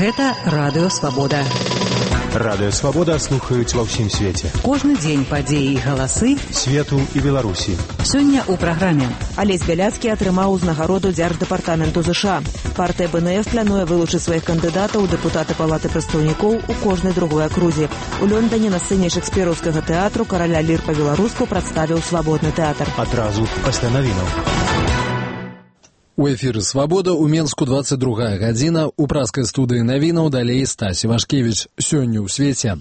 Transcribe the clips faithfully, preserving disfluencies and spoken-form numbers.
Гэта Радыё Свабода. Радыё Свабода слухаюць ва ўсім свеце. Кожны дзень падзеі і галасы свету і Беларусі. Сёння ў праграме. Алесь Бяляцкі атрымаў узнагароду Дзярждэпартаменту ЗША. Партыя БНФ плануе вылучыць сваіх кандыдатаў у дэпутаты Палаты прадстаўнікоў у кожнай другой акрузе. У Лёндане на сцэне шекспіраўскага тэатру караля лір па-беларуску прадставіў свабодны тэатр. Адразу пасля навінаў. У эфіры «Свабода» у Менску двадцать другая гадзіна. У праскай студыі навінаў далей Стась Івашкевіч. Сёння ў свеце.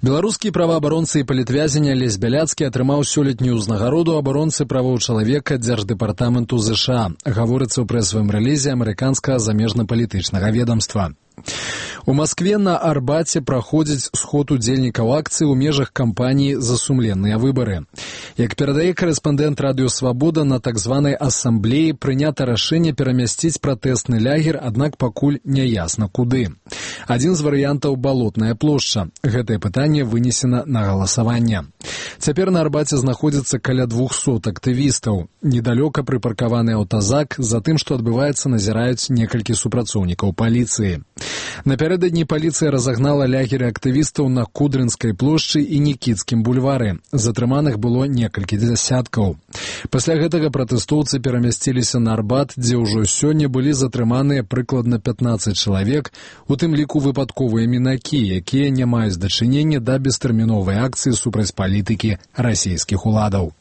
Беларускі праваабаронцы і палітвязень Алесь Бяляцкі атрымаў сёлетнюю ўзнагароду абаронцы правоў чалавека Дзярждэпартаменту ЗША. Гаворыцца ў прэсавым рэлізе амерыканскага замежна-палітычнага ведомства. У Маскве на Арбаце праходзіць сход удзельнікаў акцыі ў межах кампаніі «За сумленныя выбары». Як перадае корэспандэнт Радыё Свабода, на так званай асамблеі прынята рашэнне перамясціць пратэсны лягер, аднак пакуль няясна куды. Адзін з варыянтаў — Балотная плошча. Гэтае пытанне вынесена на галасаванне. Цяпер на Арбаце знаходзіцца каля двухсот актывістаў. Недалёка прыпаркаваны аўтазак, за тым, што адбываецца, назіраюць некалькі супрацоўнікаў паліцыі. Напярэдадні паліцыя разагнала лягеры актывістаў на Кудрынскай плошчы і Нікітскім бульвары. Затрыманых было некалькі дзясяткаў. Пасля гэтага пратэстоўцы перамясціліся на Арбат, дзе ўжо сёння былі затрыманыя прыкладна пятнаццаць чалавек, у тым ліку выпадковыя мінакі, якія не маюць дачынення да бестэрміновай акцыі супраць палітыкі расійскіх уладаў.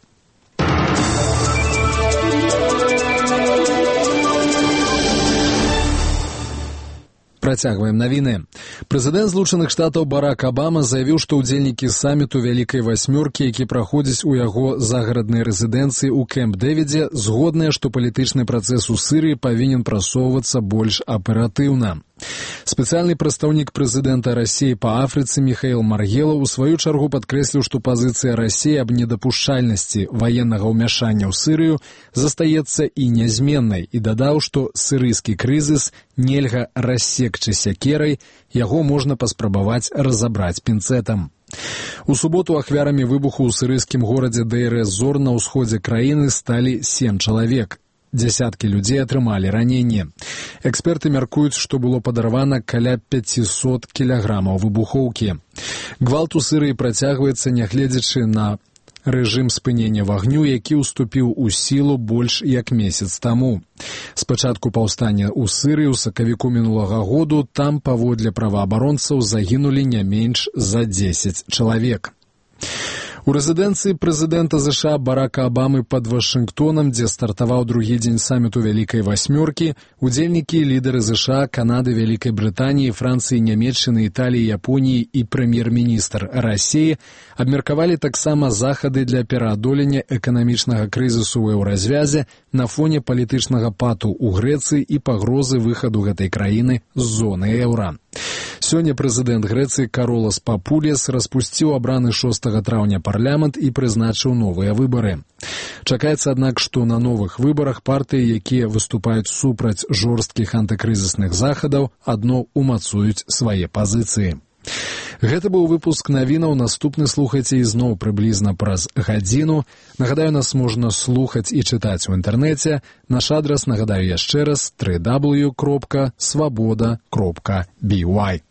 Працягваем навіны. Прэзідэнт Злучаных Штатаў Барак Абама заявіў, што ўдзельнікі саміту Вялікай Васьмёркі, які праходзіць у яго загараднай рэзідэнцыі ў Кэмп-Дэвідзе, згодныя, што палітычны працэс у Сірыі павінен прасоўвацца больш аператыўна. Спецыяльны прадстаўнік прэзідэнта Расіі па Афрыцы Міхаіл Маргела ў сваю чаргу падкрэсліў, што пазіцыя Расіі аб недапушчальнасці ваеннага ўмяшання ў Сірыю застаецца і нязменнай, і дадаў, што сірыйскі крызіс нельга рассекчы сякерай, яго можна паспрабаваць разабраць пінцэтам. У суботу ахвярамі выбуху ў сірыйскім горадзе Дэйр-эз-Зор на ўсходзе краіны сталі сем чалавек. Дзясяткі людзей атрымалі раненне. Эксперты мяркуюць, што было падарвана каля пяцісот кілаграмаў выбухоўкі. Гвалт у Сірыі працягваецца, нягледзячы на рэжым спынення вагню, які ўступіў у сілу больш як месяц таму. Спачатку паўстання ў Сірыі ў сакавіку мінулага году там, паводле праваабаронцаў, загінулі не менш за дзесяць чалавек. У рэзідэнцыі прэзідэнта ЗША Барака Абамы пад Вашынгтонам, дзе стартаваў другі дзень саміту Вялікай Васьмёркі, удзельнікі і лідары ЗША, Канады, Вялікай Брытаніі, Францыі, Нямецчыны, Італіі, Японіі і прэм'ер-міністр Расіі абмеркавалі таксама захады для пераадолення эканамічнага крызісу ў еўразвязе на фоне палітычнага пату ў Грэцыі і пагрозы выхаду гэтай краіны з зоны еўра. Сёння прэзідэнт Грэцыі Каролас Папулес распусціў абраны шостага траўня парламент і прызначыў новыя выбары. Чакаецца, аднак, што на новых выбарах партыі, якія выступаюць супраць жорсткіх антыкрызісных захадаў, адно умацуюць свае пазіцыі. Гэта быў выпуск навінаў. Наступны слухайце ізноў прыблізна праз гадзіну. Нагадаю, нас можна слухаць і чытаць у інтэрнэце. Наш адрас, нагадаю яшчэ раз, дабл ю дабл ю дабл ю кропка свабода кропка бі вай.